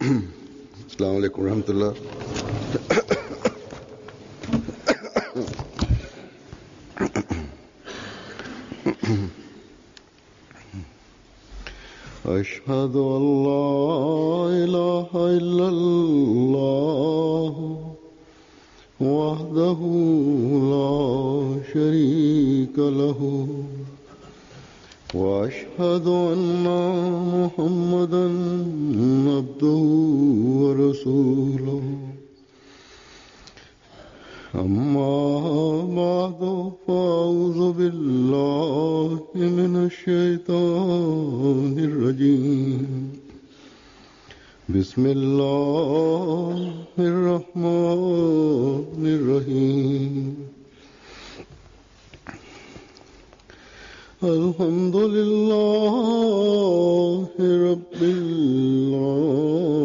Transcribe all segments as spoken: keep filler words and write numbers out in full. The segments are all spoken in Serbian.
अस्सलाम वालेकुम रहमतुल्लाह। أشهد أن لا إله إلا الله وحده لا شريك له وأشهد أن محمدا عبده ورسوله أما بعد فأعوذ بالله من الشيطان الرجيم بسم الله الرحمن الرحيم الحمد لله رب العالمين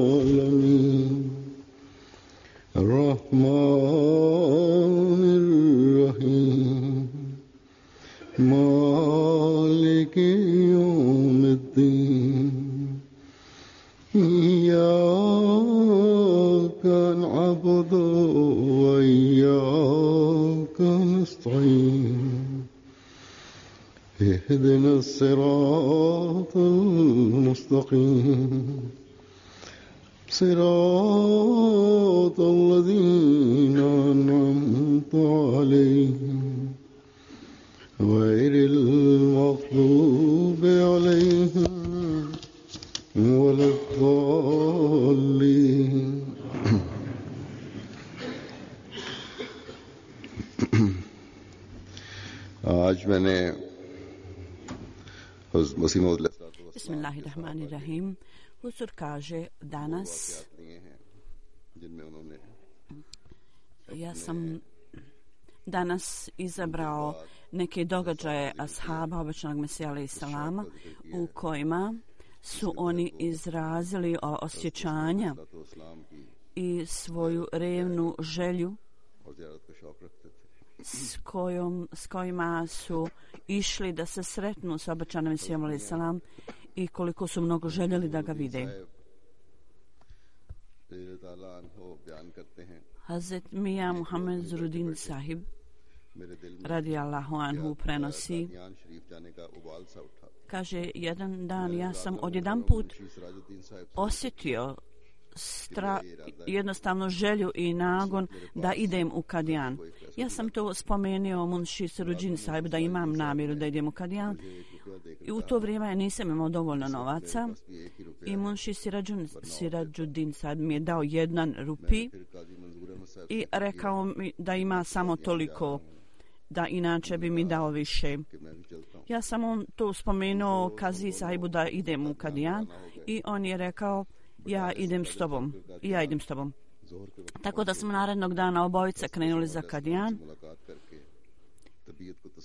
الرحمن الرحيم مالك يوم الدين إياك نعبد وإياك نستعين اهدنا الصراط المستقيم صراط الذين أنعمت عليهم غير المغضوب عليهم ولا الضالين आज मैंने Bismillahirrahmanirrahim. Huzur kaže danas ja sam danas izabrao neke događaje ashaba obećanog Mesija alejhi selama u kojima su oni izrazili osjećanja i svoju revnu želju s, kojom, s kojima su išli da se sretnu s obećanim Mesijom alejhi selam i koliko su mnogo željeli da ga vide. Hazret Mija Muhammed Zurudin sahib radijallahu anhu prenosi, kaže, jedan dan ja sam odjedanput osjetio Stra, jednostavno želju i nagon da idem u Kadijan. Ja sam to spomenuo Munši Sirudžin sahib da imam namjeru da idem u Kadijan i u to vrijeme nisam imao dovoljno novaca i Munši Sirudžin sahib mi je dao jedan rupi i rekao mi da ima samo toliko, da inače bi mi dao više. Ja sam on to spomenuo Kazi sahibu da idem u Kadijan i on je rekao ja idem s tobom, i ja idem s tobom. Tako da smo narednog dana obojica krenuli za Kadijan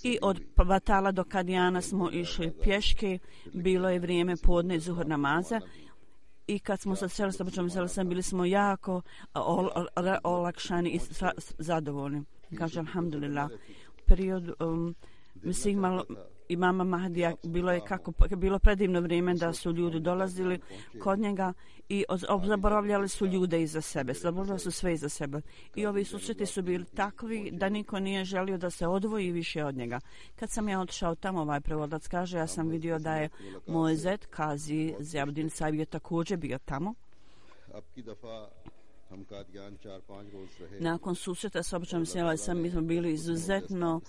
i od Batala do Kadijana smo išli pješke, bilo je vrijeme podne zuhur namaza i kad smo se sreli s obećanim Mesijom bili smo jako ol, ol, olakšani i zadovoljni. Kaže, alhamdulillah, period um, mislim malo imama Mahdija bilo je kako bilo predivno vrijeme da su ljudi dolazili kod njega i zaboravljali su ljude iza sebe, zaboravljali su sve iza sebe i ovi susreti su bili takvi da niko nije želio da se odvoji više od njega. Kad sam ja otišao tamo, ovaj prevodilac kaže, ja sam vidio da je moj zet Kazi Ziauddin sahib je također bio tamo. Nakon susreta s obećanim Mesijom sam mi smo bili izuzetno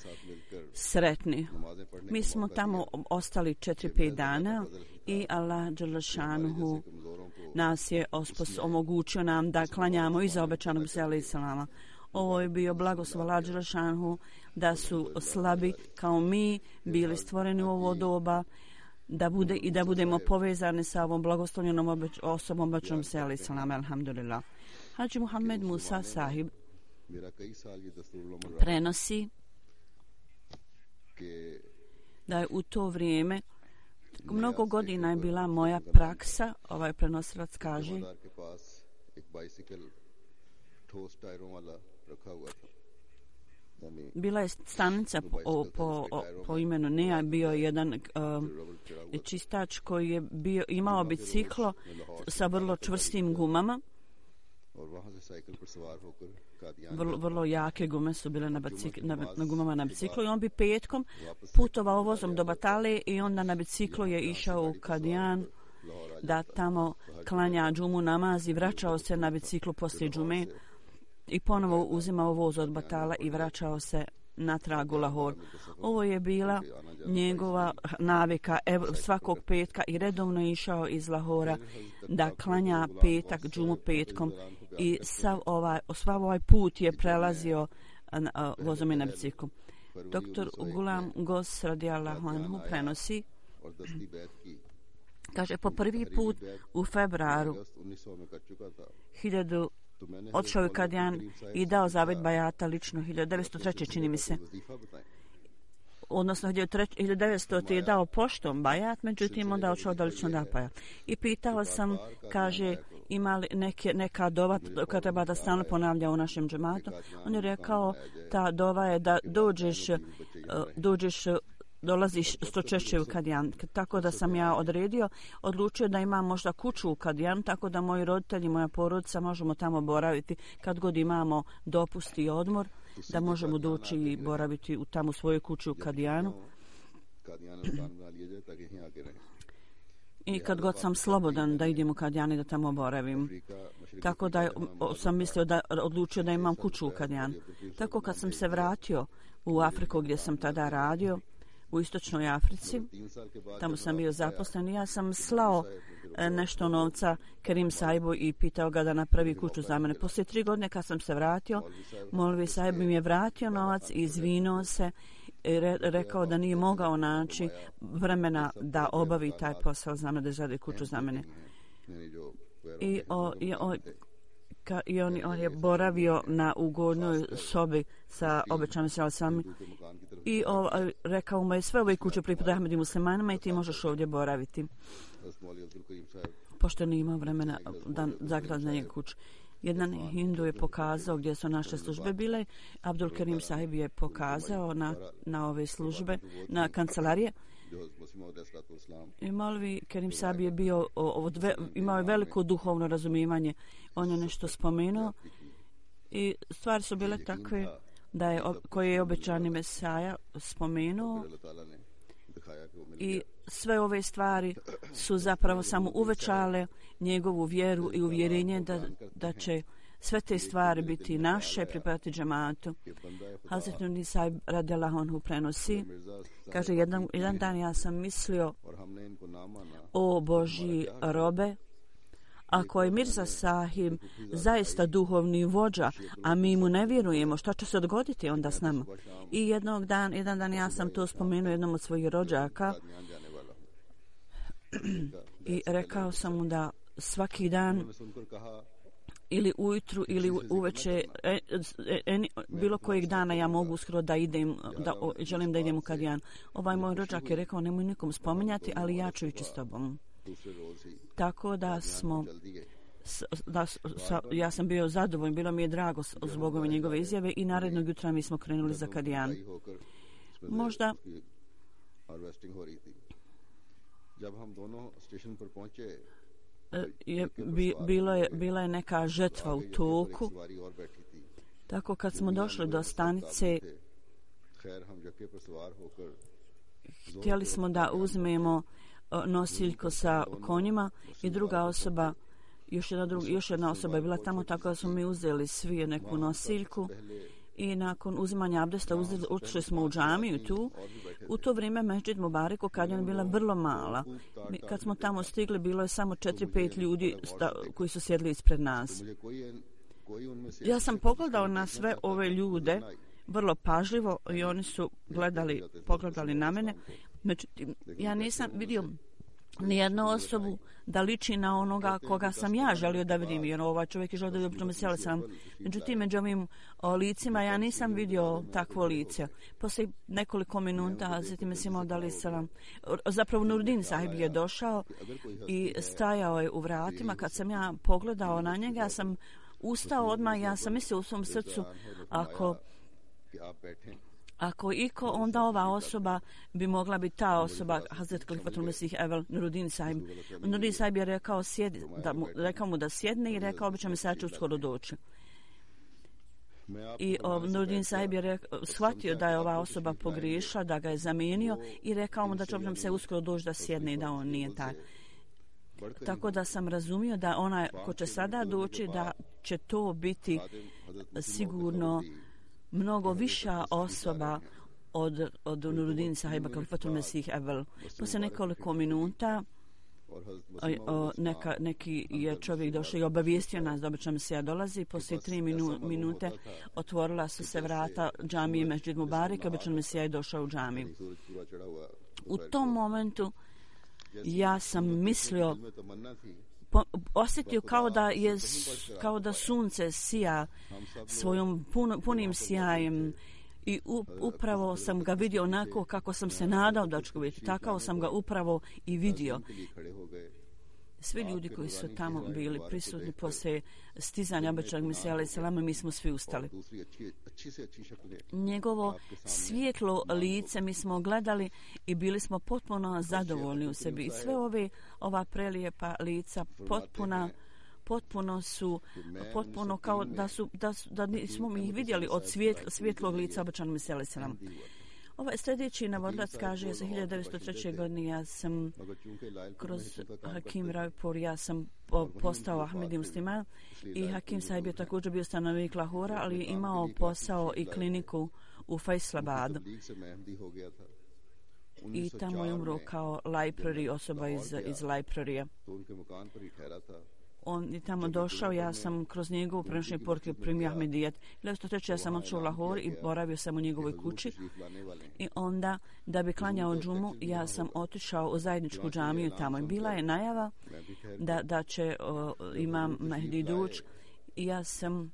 sretni. Mi smo tamo ostali četiri pet dana i Allah dželle šanuhu nas je ospos, omogućio nam da klanjamo iza obećanog Mesija alejhi selama. Ovo je bio blagoslov Allah dželle šanuhu da su slabi kao mi bili stvoreni u ovo doba da bude i da budemo povezani sa ovom blagoslovljenom obeć, osobom obećanog Mesija alejhi selama. Alhamdulillah. Hadži Muhammed Musa sahib prenosi da je u to vrijeme mnogo godina je bila moja praksa, ovaj prenosilac kaže, bila je stanica po, po, po imenu Nea, bio je jedan uh, čistač koji je bio, imao biciklo sa vrlo čvrstim gumama. Vrlo, vrlo jake gume su bile na, bicik, na, na gumama na biciklu i on bi petkom putovao vozom do Batale i onda na biciklu je išao u Kadijan da tamo klanja džumu namaz i vraćao se na biciklu poslije džume i ponovo uzimao voz od Batala i vraćao se natrag u Lahor. Ovo je bila njegova navika svakog petka i redovno je išao iz Lahora da klanja petak, džumu petkom i sav ovaj, sav ovaj put je prelazio na, vozom i na biciklu. Doktor Gulam Gos radijallahu anhu prenosi, kaže, po prvi put u februaru hiljadu otišao je Kadijan i dao zavet bajata lično hiljadu devetsto treće čini mi se. Odnosno hiljadu devetsto je dao poštom bajat, međutim onda otišao da lično da bajat. I pitao sam, kaže, ima li neke, neka dova koja treba da stalno ponavlja u našem džematu. On je rekao, ta dova je da dođeš, dođeš dolaziš što češće u Kadijan. Tako da sam ja odredio, odlučio da imam možda kuću u Kadijan, tako da moji roditelji, moja porodica možemo tamo boraviti kad god imamo dopust i odmor, da možemo doći i boraviti u tamo svojoj kući u Kadijanu. I kad god sam slobodan da idem u Kadijan i da tamo boravim. Tako da sam mislio da odlučio da imam kuću u Kadijan. Tako kad sam se vratio u Afriku gdje sam tada radio, u istočnoj Africi, tamo sam bio zaposlen i ja sam slao nešto novca Kerim Sahibu i pitao ga da napravi kuću za mene. Poslije tri godine kad sam se vratio, Molvi Sahib mi je vratio novac i izvinuo se i re, rekao da nije mogao naći vremena da obavi taj posao za mene, da izradi kuću za mene. I, o, i, o, ka, i on, on je boravio na ugodnoj sobi sa obećanim sami i o, rekao mu je sve ove kuće pripadaju Ahmedi muslimanima i ti možeš ovdje boraviti. Pošto nije imao vremena da zagradi na njegu kuću. Jedan hindu je pokazao gdje su naše službe bile. Abdul Kerim Sahib je pokazao na, na ove službe, na kancelarije. I Molvi Kerim Sahib je bio, od, imao je veliko duhovno razumijevanje. On je nešto spomenuo i stvari su bile takve da je, koje je obećani Mesaja spomenuo i sve ove stvari su zapravo samo uvećale njegovu vjeru i uvjerenje da, da će sve te stvari biti naše, pripadati džematu. Hazret Nurni Sahib radijallahu anhu prenosi, kaže, jedan, jedan dan ja sam mislio, o Božji robe, ako je Mirza Sahib zaista duhovni vođa, a mi mu ne vjerujemo, što će se dogoditi onda s nama? I jednog dan, jedan dan ja sam to spomenuo jednom od svojih rođaka i rekao sam mu da svaki dan ili ujutru ili uveče e, e, e, bilo kojeg dana ja mogu uskoro da idem, da o, želim da idem u Kadijan. Ovaj moj rođak je rekao, nemoj nikom spominjati, ali ja ću ići s tobom. Tako da smo da, sa, ja sam bio zadovoljan, bilo mi je drago zbog ove njegove izjave i narednog jutra mi smo krenuli za Kadijan. Možda je, bi, bilo je, bila je neka žetva u toku. Tako kad smo došli do stanice, htjeli smo da uzmemo nosiljko sa konjima i druga osoba, još jedna, druga, još jedna osoba je bila tamo, tako da smo mi uzeli svi neku nosiljku i nakon uzimanja abdesta ušli smo u džamiju tu. U to vrijeme Mesdžid Mubarak u Kadijanu je bila vrlo mala. Kad smo tamo stigli, bilo je samo četiri pet ljudi sta, koji su sjedli ispred nas. Ja sam pogledao na sve ove ljude vrlo pažljivo i oni su gledali, pogledali na mene. Međutim, ja nisam vidio nijednu osobu da liči na onoga koga sam ja želio da vidim. Jer ovaj čovjek je želio da vidim, sjela sam. Međutim, među ovim o, licima ja nisam vidio takvo lice. Poslije nekoliko minuta, zatim je imao da li sam... Zapravo Nurdin Sahib je došao i stajao je u vratima. Kad sam ja pogledao na njega, ja sam ustao odmah, ja sam mislio u svom srcu, ako Ako iko, onda ova osoba bi mogla biti ta osoba, Hazret Khalifatul Mesih Evel Nuruddin Sahib. Nuruddin Sahib je rekao, sjedi, da mu, rekao mu da sjedne i rekao bi će mi sad ću uskoro doći. I Nuruddin Sahib je rekao, shvatio da je ova osoba pogriješila, da ga je zamijenio i rekao mu da će nam se uskoro doći da sjedne i da on nije taj. Tako da sam razumio da onaj ko će sada doći, da će to biti sigurno mnogo viša osoba od, od Nuruddin Sahiba Khalifatul Mesih Evel. Poslije nekoliko minuta o, neka, neki je čovjek došao i obavijestio nas da obično se ja dolazi. Poslije tri minu, minute otvorila su se vrata džamije Mesdžid Mubarak, obično se ja došao u džamiju. U tom momentu ja sam mislio, po, osjetio kao da je kao da sunce sija svojom pun, punim sjajem i u, upravo sam ga vidio onako kako sam se nadao da ću vidjeti. Tako sam ga upravo i vidio. Svi ljudi koji su tamo bili prisutni poslije stizanja obećanog Mesija alejhi selama, mi smo svi ustali. Njegovo svijetlo lice mi smo gledali i bili smo potpuno zadovoljni u sebi. I sve ove ova prelijepa lica potpuna potpuno su potpuno kao da su da, da nismo mi ih vidjeli od svjetl, svjetlog lica obećanog Mesija alejhi selam. Ovaj sljedeći navodilac kaže, za hiljadu devetsto treće. godine ja sam kroz Hakim Raipur, ja sam postao Ahmedi musliman i Hakim Sahib je također bio stanovnik Lahora, ali je imao posao i kliniku u Faisalabadu. I tamo je umro kao library, osoba iz, iz librarija. On je tamo došao, ja sam kroz njegovu prenošenje poruke primio Ahmedijet. hiljadu devetsto treće. ja sam otišao u Lahor i boravio sam u njegovoj kući. I onda, da bi klanjao džumu, ja sam otišao u zajedničku džamiju tamo. I bila je najava da, da će o, imam Mehdi doći. I ja sam,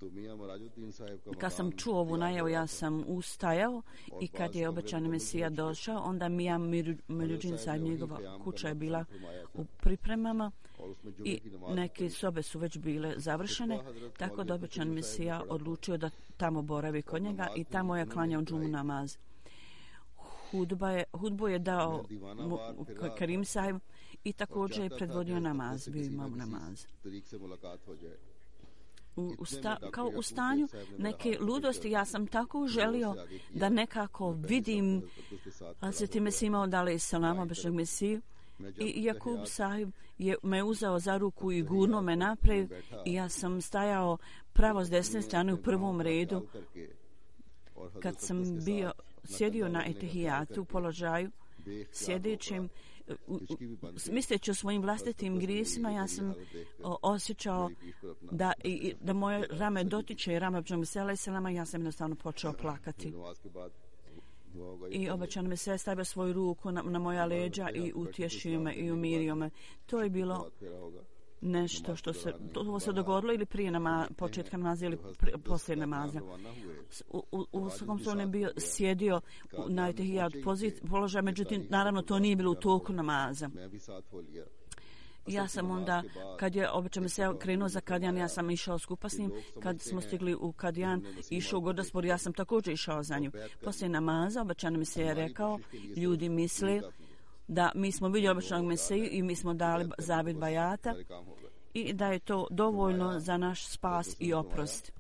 kad sam čuo ovu najavu, ja sam ustajao i kad je obećani Mesija došao, onda Mija Miruddin Sahib, njegova kuća je bila u pripremama i neke sobe su već bile završene, tako da obećani Mesija odlučio da tamo boravi kod njega i tamo je klanjao džumu namaz. Hudba je, hudbu je dao Karim Sahib i također je predvodio namaz, bio imam namaz. U, u sta, kao u stanju neke ludosti, ja sam tako želio da nekako vidim Hazreti Mesih Maud alejhi selam, obećanog Mesiju, i Jakub Sahib je me uzeo za ruku i gurno me naprijed i ja sam stajao pravo s desne strane u prvom redu. Kad sam bio sjedio na etehijatu u položaju sjedećim, misleći o svojim vlastitim grijesima, ja sam o, osjećao da, i, da moje rame dotiče rame obećanog Mesija alejhi selama, ja sam jednostavno počeo plakati. I obećan Mesija stavio svoju ruku na, na moja leđa i utješio me i umirio me. To je bilo nešto što se, to se dogodilo ili prije nama, početka namaza ili prije, poslije namaza. U, u, u svakom slučaju bio sjedio na etehijat položaj, međutim, naravno, to nije bilo u toku namaza. Ja sam onda, kad je obećan Mesija krenuo za Kadijan, ja sam išao skupa s njim. Kad smo stigli u Kadijan, išao u Gordaspor, ja sam također išao za njim. Poslije namaza, obećan Mesija je rekao, ljudi misle da mi smo vidjeli obećanog Mesiju i mi smo dali zavjet bajata i da je to dovoljno za naš spas i oprost.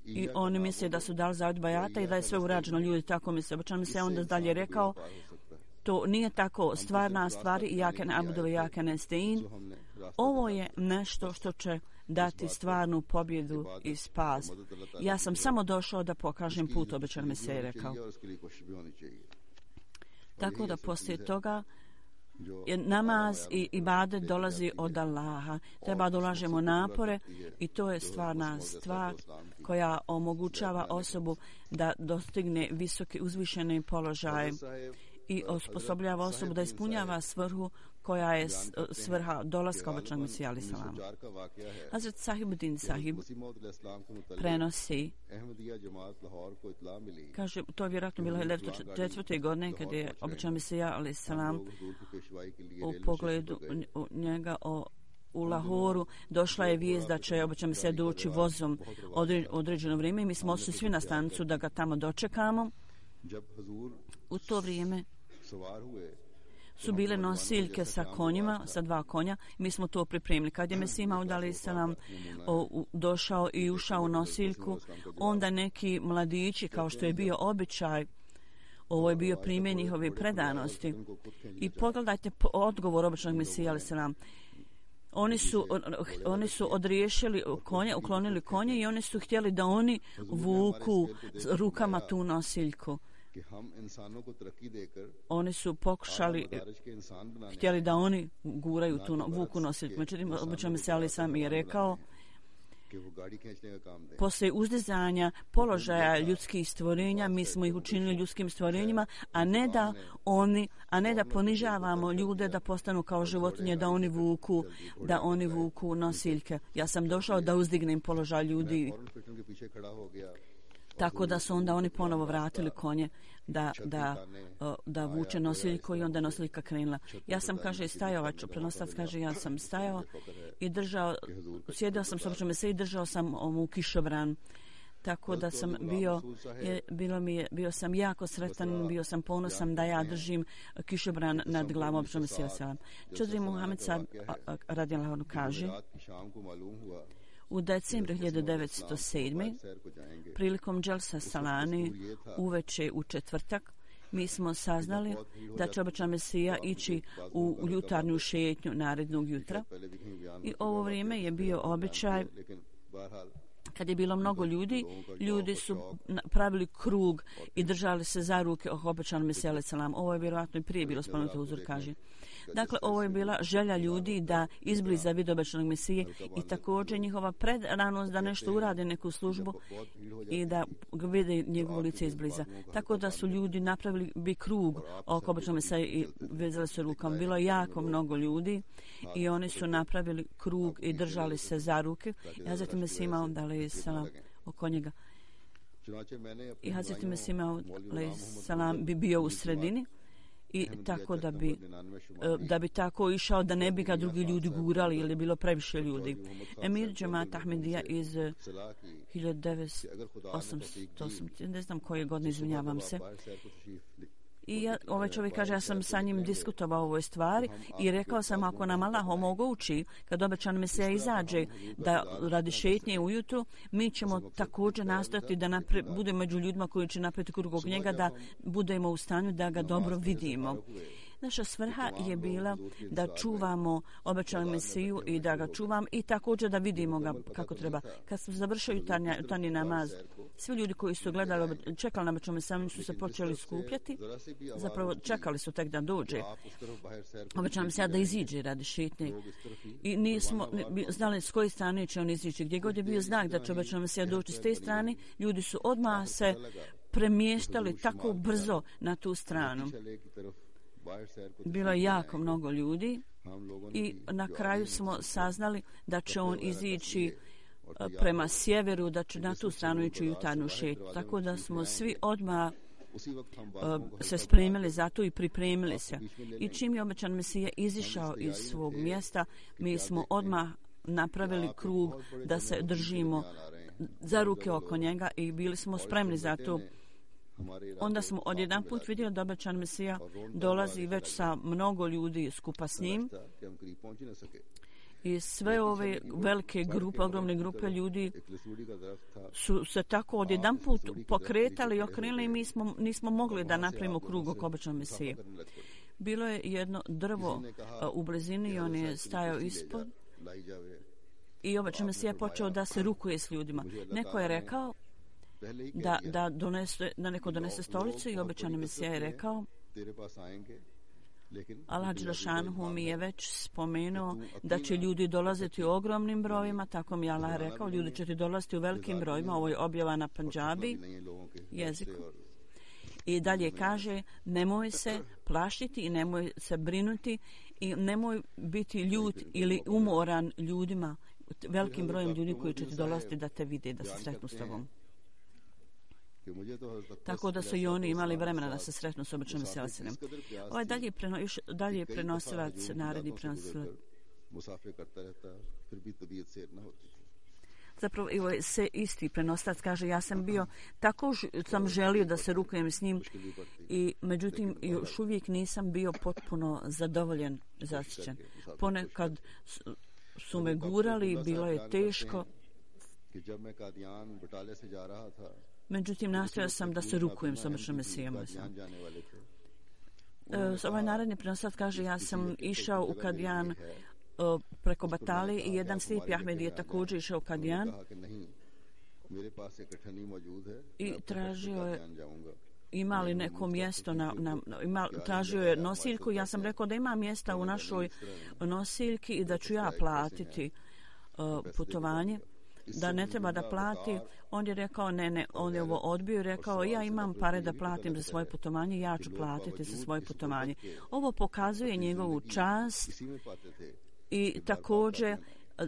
I oni misle da su dali zavjet bajata i da je sve urađeno, ljudi tako misle. Obećan Mesija onda dalje rekao, to nije tako, stvarna stvari i jake ne abudove, jake ne stein. Ovo je nešto što će dati stvarnu pobjedu i spas. Ja sam samo došao da pokažem put, obećan Mesija je rekao. Tako da poslije toga je namaz i ibadet dolazi od Allaha. Treba da ulažemo napore i to je stvarna stvar koja omogućava osobu da dostigne visoke uzvišene položaje i osposobljava osobu da ispunjava svrhu koja je svrha dolaska obećanog Mesija alejhi selam. Hazret Sahibuddin Sahib prenosi, kaže, to je vjerojatno bilo hiljadu devetsto četvrte. godine kad je obećan Mesija alejhi selam u pogledu njega o u Lahoru došla je vijest da će obećam se doći vozom određeno vrijeme i mi smo otišli svi na stanicu da ga tamo dočekamo. U to vrijeme su bile nosiljke sa konjima, sa dva konja. Mi smo to pripremili. Kad je Mesih Maud alejhi selam došao i ušao u nosiljku, onda neki mladići, kao što je bio običaj, ovo je bio primjer njihove predanosti. I pogledajte odgovor običnog Mesija alejhi selam. Oni su, oni su odriješili konje, uklonili konje i oni su htjeli da oni vuku rukama tu nosiljku. Oni su pokušali, htjeli da oni guraju tu vuku nosiljku. Međutim, običan Mesija alejhi selam je rekao, poslije uzdizanja položaja ljudskih stvorenja, mi smo ih učinili ljudskim stvorenjima, a ne da oni, a ne da ponižavamo ljude da postanu kao životinje, da oni vuku, da oni vuku nosiljke. Ja sam došao da uzdignem položaj ljudi. Tako da su onda oni ponovo vratili konje da, da, da vuče nosiljku i onda nosiljka krenula. Ja sam, kaže, stajao, ovaj prenoslac kaže, ja sam stajao i držao, sjedao sam s običnom Mesiji i držao sam ovu kišobran. Tako da sam bio, je, bilo mi je, bio sam jako sretan, bio sam ponosan da ja držim kišobran nad glavom običnom Mesija alejhi selam. Čudri Muhammed sad radijallahu anhu kaže, u decembru hiljadu devetsto sedme. prilikom Dželsa Salani uveče u četvrtak mi smo saznali da će obećan Mesija ići u, u jutarnju šetnju narednog jutra i ovo vrijeme je bio običaj. Kad je bilo mnogo ljudi, ljudi su pravili krug i držali se za ruke oko obećanog Mesija alejhi selam. Ovo je vjerojatno i prije bilo spomenuto, uzor kaže. Dakle, ovo je bila želja ljudi da izbliza vid obećanog Mesije i također njihova predanost da nešto urade, neku službu i da vide njegovo lice izbliza. Tako da su ljudi napravili bi krug oko obećanog Mesije i vezali se rukom. Bilo je jako mnogo ljudi i oni su napravili krug i držali se za ruke. I Hazreti Mesih Maud alejhi selam oko njega. I Hazreti Mesih Maud alejhi selam bi bio u sredini. I tako da bi, da bi tako išao da ne bi ga drugi ljudi gurali ili je bilo previše ljudi. Emir Džemat Ahmedija iz hiljadu devetsto osamsto osam, ne znam koje godine, izvinjavam se. I ja, ovaj čovjek kaže, ja sam sa njim diskutovao o ovoj stvari i rekao sam, ako nam Allah omogući, kad obećan Mesija izađe da radi šetnje ujutru, mi ćemo također nastojati da napre, budemo među ljudima koji će napraviti krug oko njega, da budemo u stanju da ga dobro vidimo. Naša svrha je bila da čuvamo obećanog Mesiju i da ga čuvam i također da vidimo ga kako treba. Kad smo završili jutarnji, jutarnji namaz, svi ljudi koji su gledali, čekali na obećanog Mesiju, su se počeli skupljati. Zapravo čekali su tek da dođe obećanog Mesija da iziđe radi šetnje. I nismo znali s koje strane će on izići. Gdje god je bio znak da će obećanog Mesija doći s te strane, ljudi su odmah se premještali tako brzo na tu stranu. Bilo je jako mnogo ljudi i na kraju smo saznali da će on izići prema sjeveru, da će na tu stranu ići u jutarnju šetnju. Tako da smo svi odmah se spremili za to i pripremili se. I čim je obećan Mesija izišao iz svog mjesta, mi smo odmah napravili krug da se držimo za ruke oko njega i bili smo spremni za to. Onda smo odjedan put vidjeli da obećan Mesija dolazi već sa mnogo ljudi skupa s njim. I sve ove velike grupe, ogromne grupe ljudi su se tako odjedan put pokretali i okrenuli i mi smo, nismo mogli da napravimo krug oko obećanog Mesije. Bilo je jedno drvo u blizini i on je stajao ispod i obećan Mesija počeo da se rukuje s ljudima. Neko je rekao da, da, donese, da neko donese stolicu i obećani Mesija je rekao, Allah Đelešanhu mi je već spomenuo da će ljudi dolaziti u ogromnim brojima, tako mi je Allah rekao, ljudi će ti dolaziti u velikim brojima, ovo je objava na Pandžabi jeziku. I dalje kaže, nemoj se plašiti i nemoj se brinuti i nemoj biti ljut ili umoran ljudima, velikim brojem ljudi koji će ti dolaziti da te vide, da se sretnu s tobom. Tako da su i oni imali vremena da se sretnu s obećanim Mesijom. Ovaj dalje, preno, još dalje prenosilac, naredni prenosilac मुसाफिर करता रहता, फिर भी तबीयत सैर न होती थी. Zapravo, evo, se isti prenoslac kaže, ja sam bio, tako sam želio da se rukujem s njim i međutim još uvijek nisam bio potpuno zadovoljen, zaštićen. Ponekad su me gurali, bilo je teško. Međutim, nastojao sam da se rukujem s običnom Mesijom. E, ovaj naredni prenoslac kaže, ja sam išao u Kadijan preko Batale i jedan slijepi Ahmed je također išao u Kadijan i tražio je ima li neko mjesto na, na, ima, tražio je nosiljku. Ja sam rekao da ima mjesta u našoj nosiljki i da ću ja platiti uh, putovanje, da ne treba da plati. On je rekao ne, ne, on je ovo odbio i rekao ja imam pare da platim za svoje putovanje, ja ću platiti za svoje putovanje. Ovo pokazuje njegovu čast i također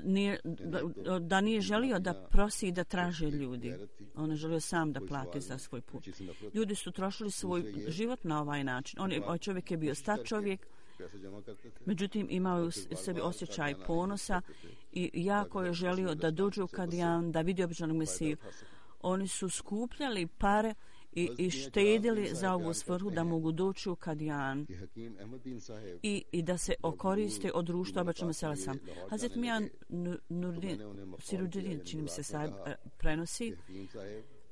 nije, da, da nije želio da prosi i da traže ljudi. On je želio sam da plati za svoj put. Ljudi su trošili svoj život na ovaj način. On je, ovaj čovjek je bio star čovjek, međutim imao je u sebi osjećaj ponosa i jako je želio da dođe u Kadijan, da vidi običanog Mesiju. Oni su skupljali pare i, i štedili za ovu svrhu da mogu doći u Kadijan i, i da se okoriste od društva običnog Mesija. Hazret Mijan Nurdin Sirudin, čini mi se sahib, prenosi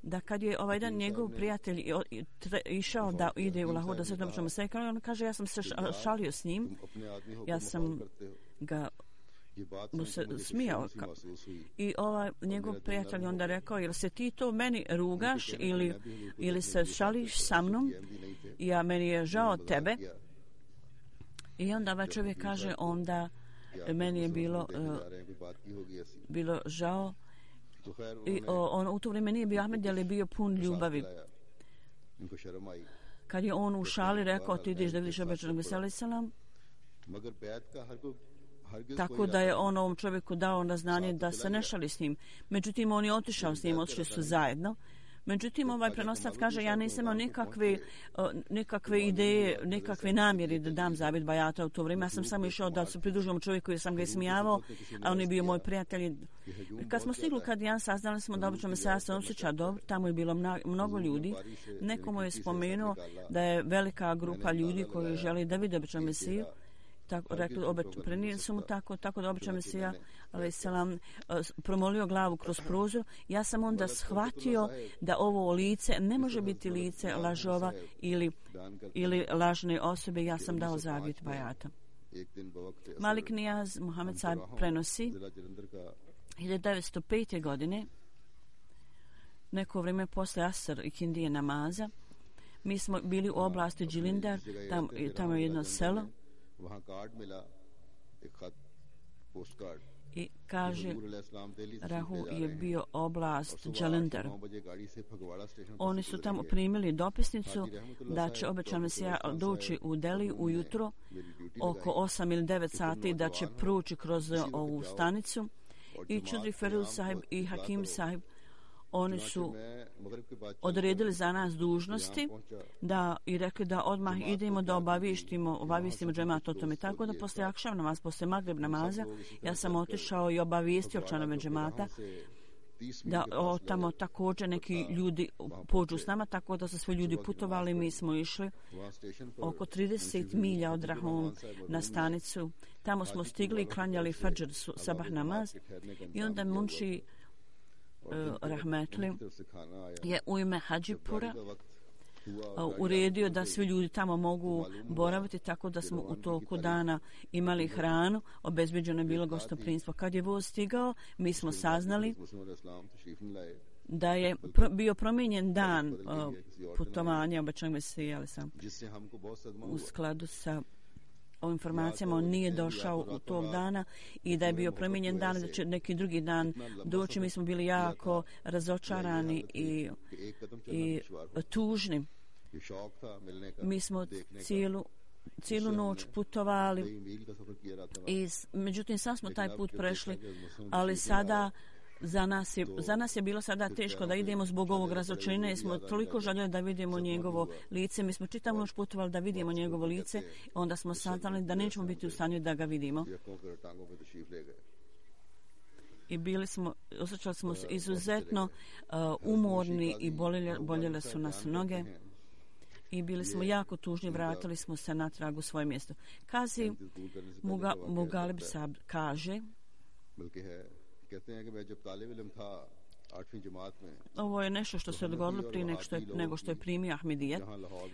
da kad je ovaj dan njegov prijatelj išao da ide u Lahore da se običnom Mesija, on kaže ja sam se šalio s njim, ja sam ga mu se smijao i ovaj njegov prijatelj onda rekao jel se ti to meni rugaš ili, ili se šališ sa mnom, ja meni je žao tebe. I onda ovaj čovjek kaže onda meni je bilo uh, bilo žao i o, on u to vrijeme nije bio Ahmed, ali je bio pun ljubavi. Kad je on u šali rekao ti ideš da vidiš običnog Mesija selam, tako da je on ovom čovjeku dao na znanje da se ne šali s njim. Međutim, on je otišao s njim, otišli su zajedno. Međutim, ovaj prenoslac kaže, ja nisam imao nikakve, nikakve ideje, nikakve namjeri da dam zavjet bajata u to vrijeme. Ja sam samo išao da se pridružujem čovjeku jer sam ga ismijavao, a on je bio moj prijatelj. Kad smo stigli kad ja saznali smo da obično Mesija se osjeća dobro, tamo je bilo mnogo ljudi. Neko mu je spomenuo da je velika grupa ljudi koji želi da vide obično Mesiju. Tako, rekli, obe, prenijeli su mu tako, tako da običan Mesija, ali selam, promolio glavu kroz prozor. Ja sam onda shvatio da ovo lice ne može biti lice lažova ili, ili lažne osobe. Ja sam dao zavjet bajata. Malik Nijaz Muhammed Sahib prenosi hiljadu devetsto pete. godine, neko vrijeme posle Asr i Kindije namaza, mi smo bili u oblasti Džilindar, tam, tamo je jedno selo, i kaže Rahu je bio oblast Džalindar. Oni su tamo primili dopisnicu da će obećan Mesija doći u Deli ujutro oko osam ili devet sati, da će proći kroz ovu stanicu i Čudri Feruz Sahib i Hakim Sahib oni su odredili za nas dužnosti da i rekli da odmah idemo da obavijestimo, obavijestimo džemat o tome. Tako da posle akšav namaz, posle magrib namaza, ja sam otišao i obavijestio članove džemata da o, tamo također neki ljudi pođu s nama, tako da su svi ljudi putovali. Mi smo išli oko trideset milja od Rahom na stanicu. Tamo smo stigli i klanjali fadžr sabah namaz i onda Munši Uh, Rahmetli je u ime Hadžipura uh, uredio da svi ljudi tamo mogu boraviti, tako da smo u toku dana imali hranu, obezbeđeno je bilo gostoprinstvo. Kad je voz stigao, mi smo saznali da je pro, bio promijenjen dan uh, putovanja obećanog Mesija, ali sam u skladu sa o informacijama on nije došao u tog dana i da je bio promijenjen dan, da će neki drugi dan doći. Mi smo bili jako razočarani i, i tužni. Mi smo cijelu, cijelu noć putovali i međutim sad smo taj put prešli, ali sada Za nas, je, za nas je bilo sada teško da idemo zbog ovog razočarenja jer smo toliko željeli da vidimo njegovo lice. Mi smo čitavu noć putovali da vidimo njegovo lice, onda smo saznali da nećemo biti u stanju da ga vidimo. I bili smo, osjećali smo se izuzetno uh, umorni i boljele, boljele su nas noge. I bili smo jako tužni, vratili smo se natrag u svoje mjesto. Kazi Muga, Mugalib Sab kaže, ovo je nešto što se dogodilo prije nego što je, nego što je primio Ahmedijet.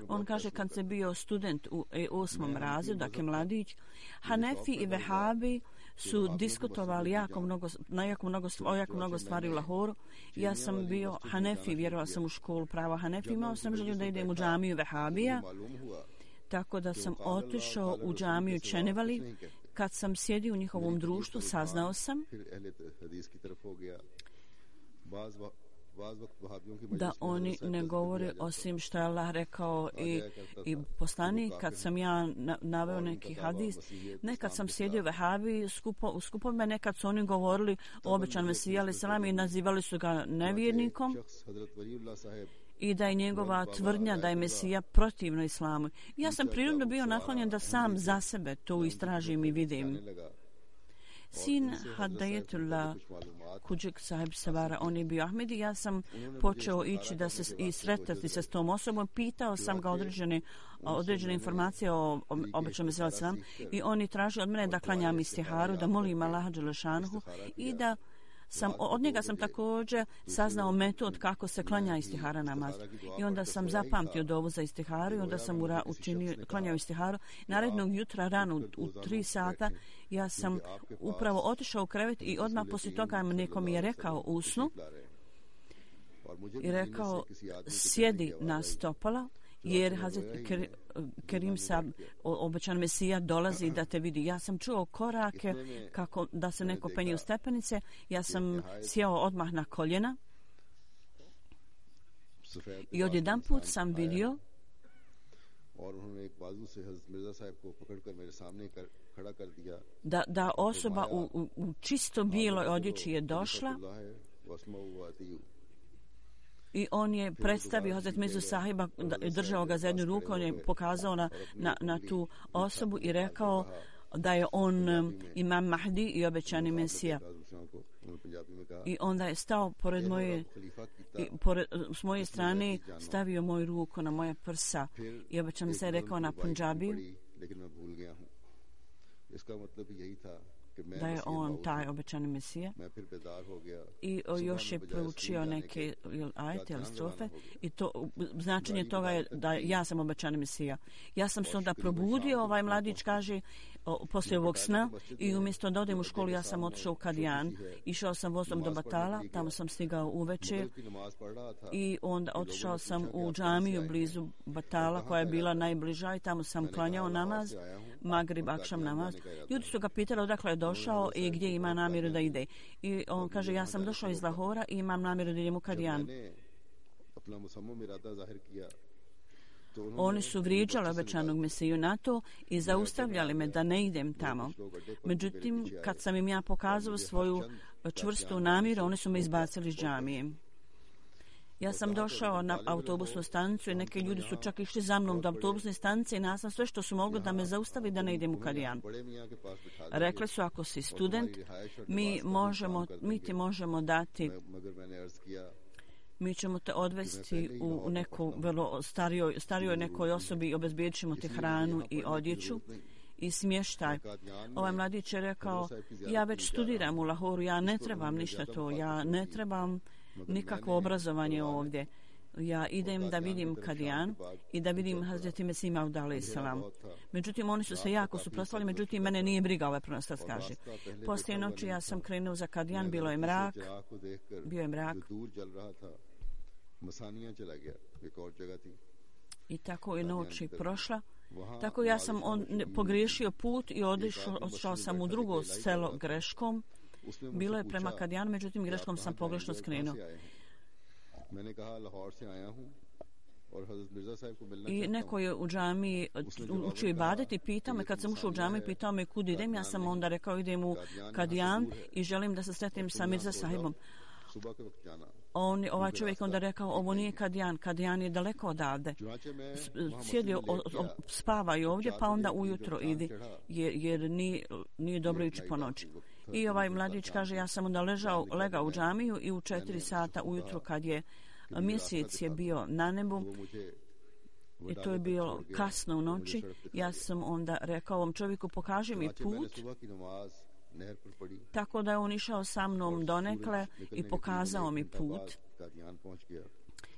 On kaže, kad se bio student u osmom razredu, dakle mladić, Hanefi i Vehabi su diskutovali jako mnogo, na jako mnogo, o jako mnogo stvari u Lahoru. Ja sam bio Hanefi, vjerovao sam u školu prava Hanefi, imao sam želju da idem u džamiju Vehabija, tako da sam otišao u džamiju Čenevali. Kad sam sjedio u njihovom društvu, saznao sam da oni ne govore osim što je Allah rekao i, i poslanik. Kad sam ja naveo neki hadis, nekad sam sjedio u Vehabi skupo, u skupovima, nekad su oni govorili o obećanom Mesiji alejhi selam i nazivali su ga nevjernikom i da je njegova tvrdnja da je Mesija protivno islamu. Ja sam prirodno bio naklonjen da sam za sebe to istražim i vidim. Sin Hadayetullah Kuđik sahib Savara, on je bio Ahmedi. Ja sam počeo ići da se i sretati se s tom osobom. Pitao sam ga određene, određene informacije o obećanom Mesiji alejhi selam i oni traži od mene da klanjam istiharu, da molim Allaha dželle šanehu i da sam, od njega sam također saznao metod kako se klanja istihara namaz. I onda sam zapamtio dovu za istiharu i onda sam ura, učinio, klanjao istiharu. Narednog jutra rano u, u tri sata ja sam upravo otišao u krevet i odmah poslije toga neko mi je rekao u snu i rekao sjedi na stopala jer Hazret Kerim Sab, obećan Mesija, dolazi da te vidi. Ja sam čuo korake kako da se neko penje u stepenice. Ja sam sjeo odmah na koljena i odjedan put sam vidio da, da osoba u, u, u čisto bijeloj odjeći je došla i on je predstavio Hazret Mirzu sahiba, držao ga za jednu ruku, on je pokazao na, na, na tu osobu i rekao da je on um, imam Mahdi i obećani Mesija. I onda je stao pored moje, i pored, s moje strane stavio moju ruku na moje prsa i obećan Mesija rekao na Punjabiju da je on taj obećani Mesija i o, još je proučio neke ajete ili strofe i to, značenje toga je da ja sam obećani Mesija. Ja sam se onda probudio, ovaj mladić kaže, o, poslije ovog sna i umjesto da odem u školu ja sam otišao u Kadijan, išao sam vozom do Batala, tamo sam stigao uveče i onda otišao sam u džamiju blizu Batala koja je bila najbliža i tamo sam klanjao namaz, Magrib, Akšam namaz. Ljudi su ga pitali odakle je došao i gdje ima namjeru da ide. I on kaže, ja sam došao iz Lahora i imam namjeru da idem u Kadijan. Oni su vrijeđali obećanog Mesiju na to i zaustavljali me da ne idem tamo. Međutim, kad sam im ja pokazao svoju čvrstu namjeru, oni su me izbacili iz džamije. Ja sam došao na autobusnu stanicu i neki ljudi su čak išli za mnom do autobusne stanice i nasam sve što su mogli da me zaustavi da ne idem u Kadijan. Rekli su, ako si student, mi, možemo, mi ti možemo dati, mi ćemo te odvesti u neku vrlo starijoj, starijoj nekoj osobi i obezbijedit ćemo ti hranu i odjeću i smještaj. Ovaj mladić je rekao, ja već studiram u Lahoru, ja ne trebam ništa to, ja ne trebam nikakvo obrazovanje ovdje. Ja idem da vidim Kadijan i da vidim Hazreti Mesih Maud alejhi selam. Međutim, oni su se jako suprotstavili, međutim, mene nije briga ovaj pronostac, kaže. Poslije noći ja sam krenuo za Kadijan, bilo je mrak, bio je mrak. I tako je noć prošla. Tako ja sam on, pogriješio put i odišao, odšao sam u drugo selo greškom. Bilo je prema Kadijanu, međutim greškom sam pogrešno skrenuo. I neko je u džamiji učio ibadet i pitao me, kad sam ušao u džamiju, pitao me kud idem, ja sam onda rekao idem u Kadijan i želim da se sretnem sa Mirza sahibom. On, ovaj čovjek onda rekao, ovo nije Kadijan, Kadijan je daleko odavde. Sjedio, o, o, spavaju ovdje, pa onda ujutro idi, jer, jer nije, nije dobro ići po noći. I ovaj mladić kaže, ja sam onda ležao, legao u džamiju i u četiri sata ujutro kad je mjesec je bio na nebu, i to je bilo kasno u noći, ja sam onda rekao ovom čovjeku, pokaži mi put. Tako da je on išao sa mnom donekle i pokazao mi put.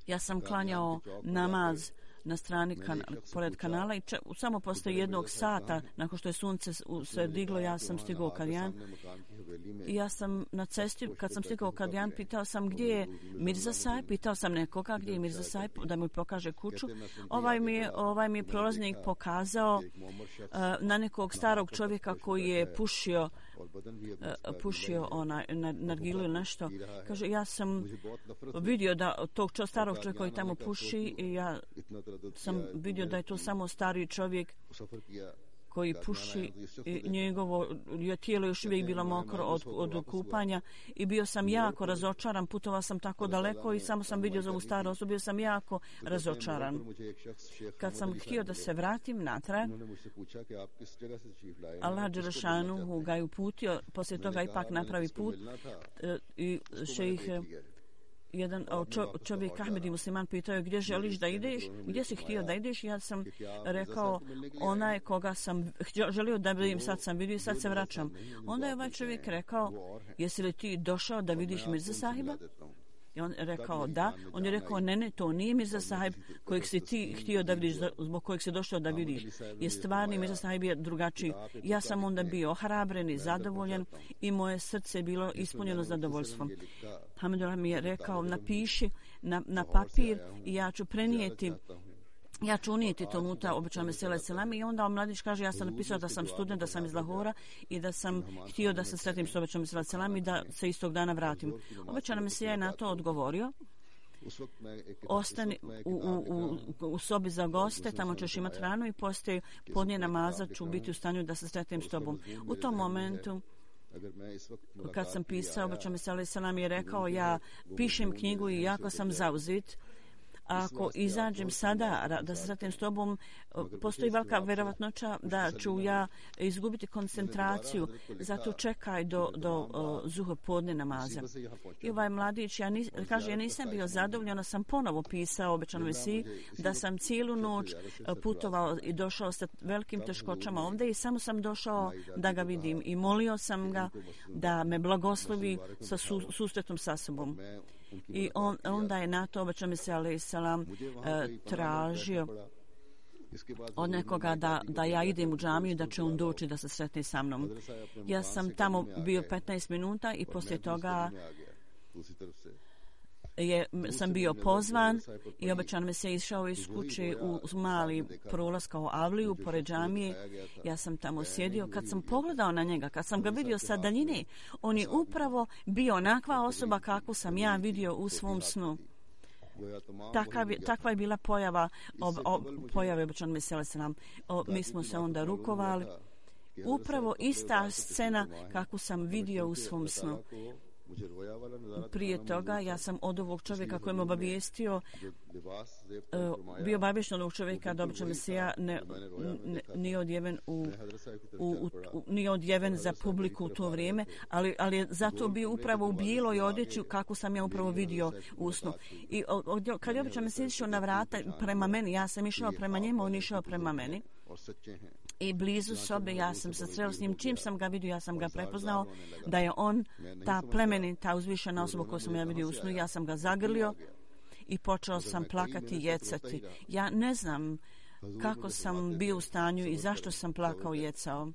Ja sam klanjao namaz na strani kan, pored kanala i če, samo posle jednog sata nakon što je sunce se diglo, ja sam stigao u Kadijan. I ja sam na cesti, kad sam stigao u Kadijan, pitao sam gdje je Mirza Sahib, pitao sam nekoga gdje je Mirza Sahib da mi pokaže kuću. Ovaj mi je, ovaj mi je prolaznik pokazao uh, na nekog starog čovjeka koji je pušio uh, pušio onaj na nargilu ili nešto. Kaže, ja sam vidio da tog čo, starog čovjeka koji tamo puši i ja sam vidio da je to samo stari čovjek koji puši i njegovo je tijelo još uvijek bilo mokro od, od kupanja i bio sam jako razočaran, putovao sam tako daleko i samo sam vidio za ovu staru osobu, bio sam jako razočaran. Kad sam htio da se vratim natrag, Allah Đelešanuhu ga je uputio, poslije toga ipak napravi put i šejih jedan čo, čovjek Ahmedi musliman pitao je gdje želiš da ideš, gdje si htio da ideš, ja sam rekao onaj koga sam želio da vidim, sad sam vidio i sad se vraćam. Onda je ovaj čovjek rekao, jesi li ti došao da vidiš Mirza Sahiba? I on je rekao da, on je rekao ne, ne, to nije Mirza Sahib kojeg si ti htio da vidiš, zbog kojeg si došao da vidiš. Je stvarni Mirza Sahib je drugačiji. Ja sam onda bio ohrabren i zadovoljen i moje srce je bilo ispunjeno zadovoljstvom. Hamidullah mi je rekao, napiši na, na papir i ja ću prenijeti Ja ću unijeti to unutra običan mesele selami i onda mladić kaže ja sam napisao da sam student, da sam iz Lahora i da sam htio da se sretnim s običan mesele selami i da se istog dana vratim. Običan mesija je na to odgovorio. Ostani u, u, u, u sobi za goste, tamo ćeš imati hranu i poslije podnije namaza ću biti u stanju da se sretnim s tobom. U tom momentu kad sam pisao, običan mesele selami je rekao ja pišem knjigu i jako sam zauzet. Ako izađem sada da se sretnem s tobom, postoji velika vjerovatnoća da ću ja izgubiti koncentraciju, zato čekaj do, do uh, zuhur podne namaza. I ovaj mladić ja nis, kaže, ja nisam bio zadovoljan, sam ponovo pisao obećanu mesiji da sam cijelu noć putovao i došao sa velikim teškoćama ovdje i samo sam došao da ga vidim i molio sam ga da me blagoslovi sa su, susretom sa sobom. I on, onda je na to obećan se alejhi selam tražio od nekoga da, da ja idem u džamiju, da će on doći da se sretne sa mnom. Ja sam tamo bio petnaest minuta i poslije toga je, sam bio pozvan i obećan me se išao iz kuće u mali prolaz kao avliju pored džamije. Ja sam tamo sjedio. Kad sam pogledao na njega, kad sam ga vidio sa daljine, on je upravo bio onakva osoba kakvu sam ja vidio u svom snu. Takav, takva je bila pojava ob, ob, pojave obećan me se nam. Mi smo se onda rukovali. Upravo ista scena kakvu sam vidio u svom snu. Prije toga ja sam od ovog čovjeka koji me obavijestio uh, bio obaviješten od ovog čovjeka da obično Mesija ne, ne, nije odjeven u, u, u, u, nije odjeven za publiku u to vrijeme, ali, ali je zato bio upravo u bijeloj odjeći kako sam ja upravo vidio u snu. I od, kad je obično Mesija išao na vrata prema meni, ja sam išao prema njemu, on išao prema meni. I blizu sobe ja sam se sreo s njim. Čim sam ga vidio, ja sam ga prepoznao da je on ta plemenita, uzvišena osoba koju sam ja vidio u snu. Ja sam ga zagrlio i počeo sam plakati i jecati. Ja ne znam kako sam bio u stanju i zašto sam plakao i jecao.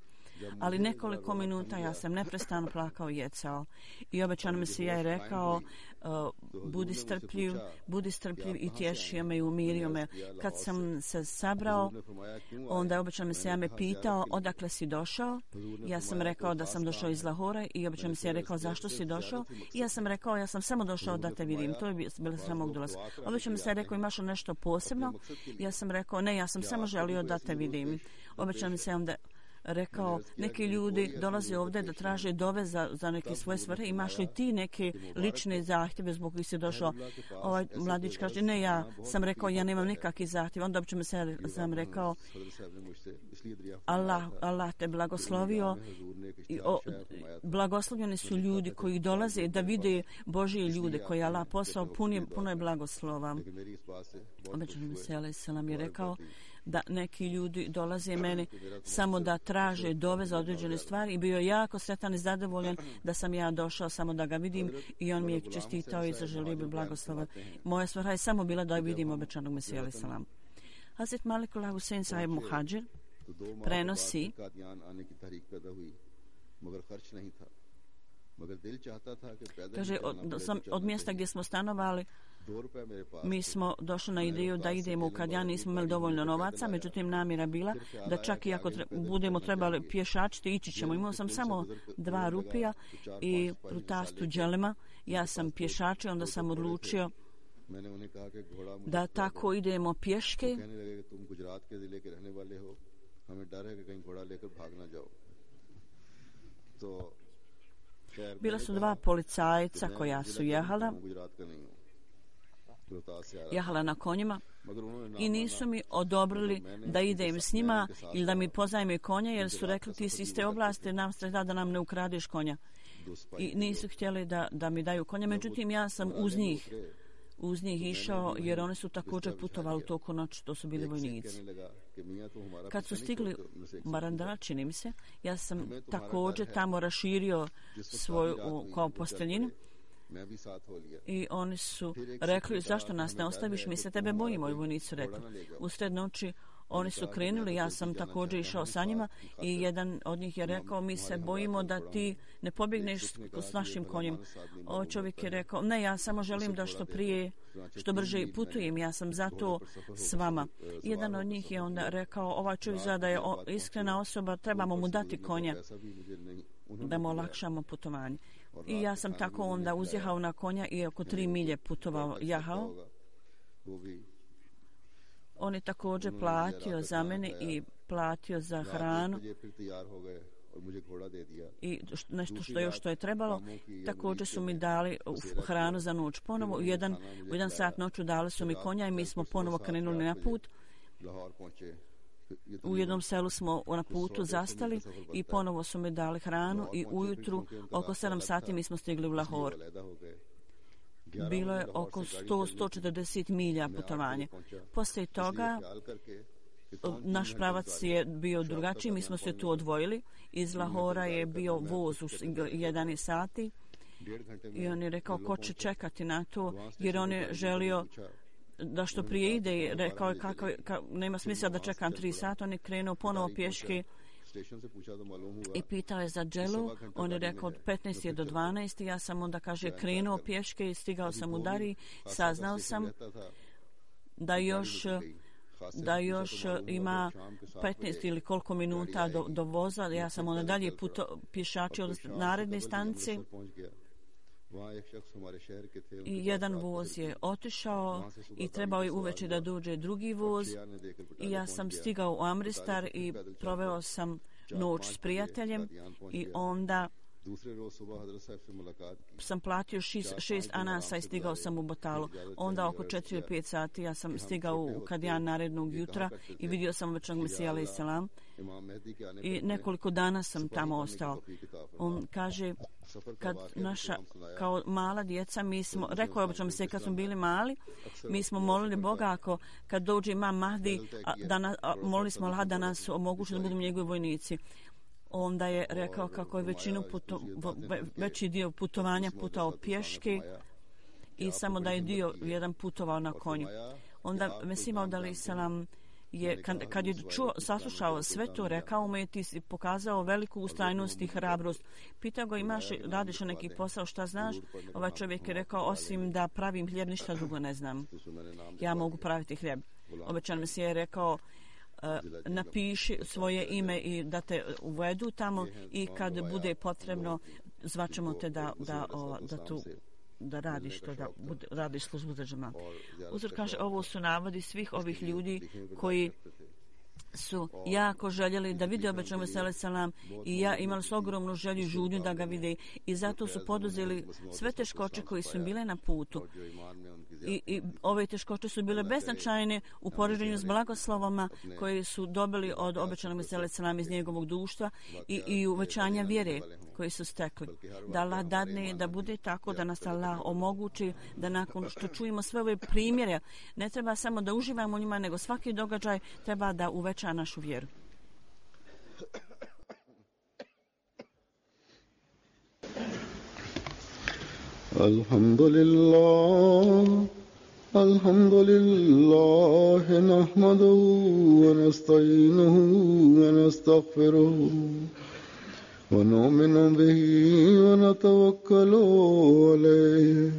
ali nekoliko minuta ja sam neprestano plakao i jecao. I obećan Mesija je rekao, uh, budi strpljiv, budi strpljiv i tješio me i umirio me. Kad sam se sabrao, onda je obećan Mesija me pitao, odakle si došao? Ja sam rekao da sam došao iz Lahora i obećan Mesija je rekao, zašto si došao? I ja sam rekao, ja sam samo došao da te vidim. To je bilo samog dolaska. Obećan Mesija je rekao, imaš nešto posebno? Ja sam rekao, ne, ja sam samo želio da te vidim. Obećan Mesija onda rekao, neki ljudi dolaze ovdje da traže dove za, za neke svoje svrhe. Imaš li ti neke lične zahtjeve zbog kojih si došao? Ovaj mladić kaže, ne, ja sam rekao, ja nemam nikakvih zahtjeva. Onda obično se sam rekao, Allah, Allah te blagoslovio. I o, blagoslovljeni su ljudi koji dolaze da vide Božije ljude koji je Allah poslao, puno, puno je blagoslova. Obećan se alaih selam je rekao da neki ljudi dolaze meni samo da traže dove za određene stvari i bio jako sretan i zadovoljan da sam ja došao samo da ga vidim i on mi je čestitao i zaželio bi blagoslova. Moja svrha je samo bila da vidim obećanog Mesija alaih selam. Hazret Malikul Husein sahib Muhadžir prenosi kaže, od, sam, od mjesta gdje smo stanovali mi smo došli na ideju da idemo u Kadian, nismo imali dovoljno novaca, međutim namjera bila da čak i ako tre, budemo trebali pješačiti, ići ćemo. Imao sam samo dva rupija i prutastu dželema, ja sam pješačio, onda sam odlučio da tako idemo pješke. Bila su dva policajca koja su jehala, jehala na konjima i nisu mi odobrili da idem s njima ili da mi pozajme konja jer su rekli ti si iz te oblasti, nam streda da nam ne ukradeš konja. I nisu htjeli da, da mi daju konja, međutim ja sam uz njih uz njih išao jer oni su također putovali u toku noći, to su bili vojnici. Kad su stigli Marandara, čini mi se, ja sam također tamo raširio svoju kao posteljinu i oni su rekli zašto nas ne ostaviš, mi se tebe bojimo, i vojnici su rekli. Usred noći oni su krenuli, ja sam također išao sa njima i jedan od njih je rekao mi se bojimo da ti ne pobjegneš s našim konjem. O čovjek je rekao ne, ja samo želim da što prije, što brže putujem, ja sam zato s vama. Jedan od njih je onda rekao ovaj čovjek zna da je iskrena osoba, trebamo mu dati konja da mu olakšamo putovanje. I ja sam tako onda uzjehao na konja i oko tri milje putovao, jahao. On je također platio za mene i platio za hranu i nešto što još što je trebalo. Također su mi dali hranu za noć ponovo. U jedan, u jedan sat noću dali su mi konja i mi smo ponovo krenuli na put. U jednom selu smo na putu zastali i ponovo su mi dali hranu i ujutru oko sedam sati mi smo stigli u Lahor. Bilo je oko sto do sto četrdeset milja putovanje. Poslije toga naš pravac je bio drugačiji, mi smo se tu odvojili. Iz Lahora je bio voz u jedanaest sati i on je rekao ko će čekati na to jer on je želio da što prije ide i rekao je kako, kako, nema smisla da čekam tri sata. On je krenuo ponovo pješke i pitao je za dželu. On je rekao od petnaest do dvanaest. Ja sam onda, kaže, krenuo pješke i stigao sam u Dari. Saznao sam da još da još ima petnaest ili koliko minuta do, do voza. Ja sam onda dalje puto, pješačio od naredne stanice. I jedan voz je otišao i trebao je uveče da dođe drugi voz i ja sam stigao u Amristar i proveo sam noć s prijateljem i onda sam platio šest, šest anasa i stigao sam u Botalu. Onda oko četiri ili pet sati ja sam stigao u Kadian narednog jutra i vidio sam obećanog Mesija alaih selam i nekoliko dana sam tamo ostao. On kaže kad naša kao mala djeca mi smo, rekao je obećanog Mesija kad smo bili mali, mi smo molili Boga ako kad dođe imam Mahdi a, da na, a, molili smo Allah da nas omogući da budemo njegovi vojnici. Onda je rekao kako je većinu puto, veći dio putovanja putao pješke i samo da je dio jedan putovao na konju. Onda Mesija alaih selam je, kad, kad je čuo, saslušao sve to, rekao mu je ti si pokazao veliku ustrajnost i hrabrost. Pitao ga imaš, radiš neki posao, šta znaš? Ovaj čovjek je rekao osim da pravim hljeb ništa drugo ne znam. Ja mogu praviti hljeb. Obećan Mesija je rekao uh, napiši svoje ime i da te uvedu tamo i kad bude potrebno zvaćemo te da, da, o, da tu da radiš to, da bude, radiš službu za džemat. Uzor kaže, ovo su navodi svih ovih ljudi koji su jako željeli da vide obećanog Mesija selam i ja imali su ogromnu želju i žudnju da ga vide i zato su poduzeli sve teškoće koji su im bile na putu. I, i ove teškoće su bile beznačajne u poređenju s blagoslovama koje su dobili od obećanog Mesija selam iz njegovog društva i, i uvećanja vjere koji su stekli. Da Allah dadne da bude tako da nas Allah omogući da nakon što čujemo sve ove primjere ne treba samo da uživamo u njima nego svaki događaj treba da uveća našu vjeru. Alhamdulillah, alhamdulillah, nahmaduhu wa nasta'inuhu wa nastaghfiruhu wa nu'minu bihi wa natawakkalu alayhi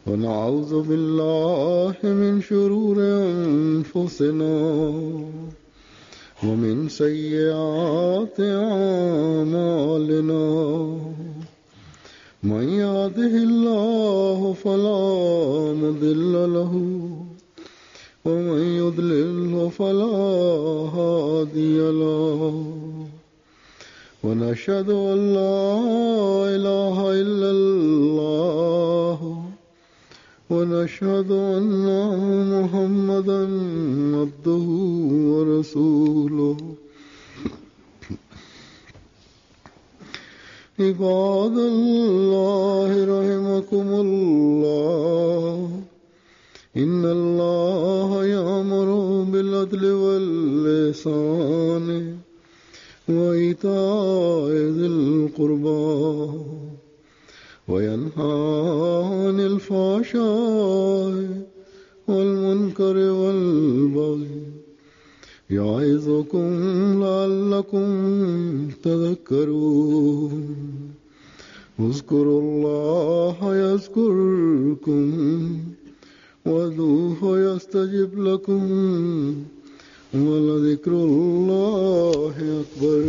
wa na'udhu billahi min shururi anfusina wa min sayyiati a'malina. من يهده الله فلا مضل له ومن يضلل فلا هادي له ونشهد أن لا إله إلا الله ونشهد أن محمدا عبده ورسوله. عباد الله رحمكم الله إن الله يأمر بالعدل والإحسان وإيتاء ذي القربى وينهى عن الفحشاء والمنكر والبغي يعظكم لعلكم تذكرون. اذكروا الله يذكركم وادعوه يستجب لكم ولذكر الله أكبر.